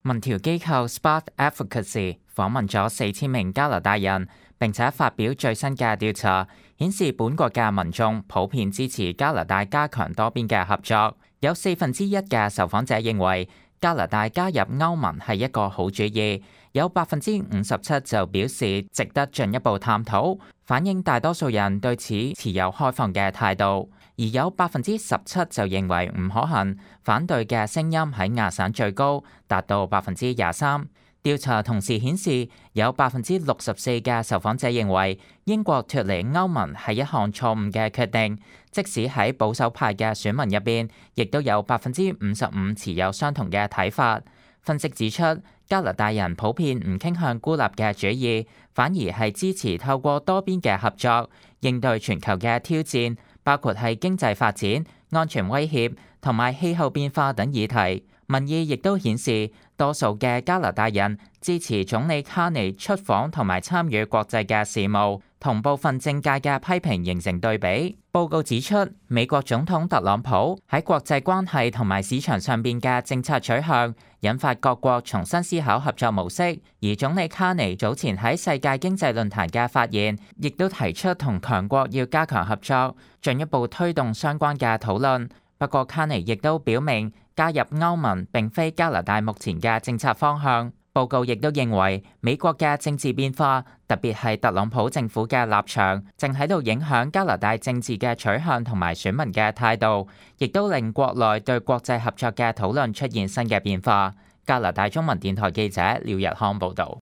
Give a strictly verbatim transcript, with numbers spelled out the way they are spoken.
民調機構 Spark Advocacy 訪問咗四千名加拿大人，並且發表最新嘅調查，顯示本國嘅民眾普遍支持加拿大加強多邊嘅合作。有四分之一嘅受訪者認為加拿大加入歐盟係一個好主意，有百分之五十七就表示值得進一步探討，反映大多數人對此持有開放嘅態度。而有百分之十七就認為唔可行，反對嘅聲音喺亞省最高，達到百分之廿三。調查同時顯示，有百分之六十四嘅受訪者認為英國脫離歐盟係一項錯誤嘅決定，即使喺保守派嘅選民入邊，亦都有百分之五十五持有相同嘅睇法。分析指出，加拿大人普遍唔傾向孤立嘅主義，反而係支持透過多邊嘅合作應對全球嘅挑戰，包括係經濟發展、安全威脅同埋氣候變化等議題。民意亦都顯示，多數嘅加拿大人支持總理卡尼出訪同埋參與國際嘅事務，同部分政界嘅批評形成對比。報告指出，美國總統特朗普喺國際關係同埋市場上邊嘅政策取向，引發各國重新思考合作模式。而總理卡尼早前喺世界經濟論壇嘅發言，亦都提出同強國要加強合作，進一步推動相關嘅討論。不過卡尼亦都表明，加入歐盟並非加拿大目前嘅政策方向。報告亦都認為，美國嘅政治變化，特別係特朗普政府嘅立場，正喺度影響加拿大政治嘅取向同埋選民嘅態度，亦都令國內對國際合作嘅討論出現新嘅變化。加拿大中文電台記者廖日康報導。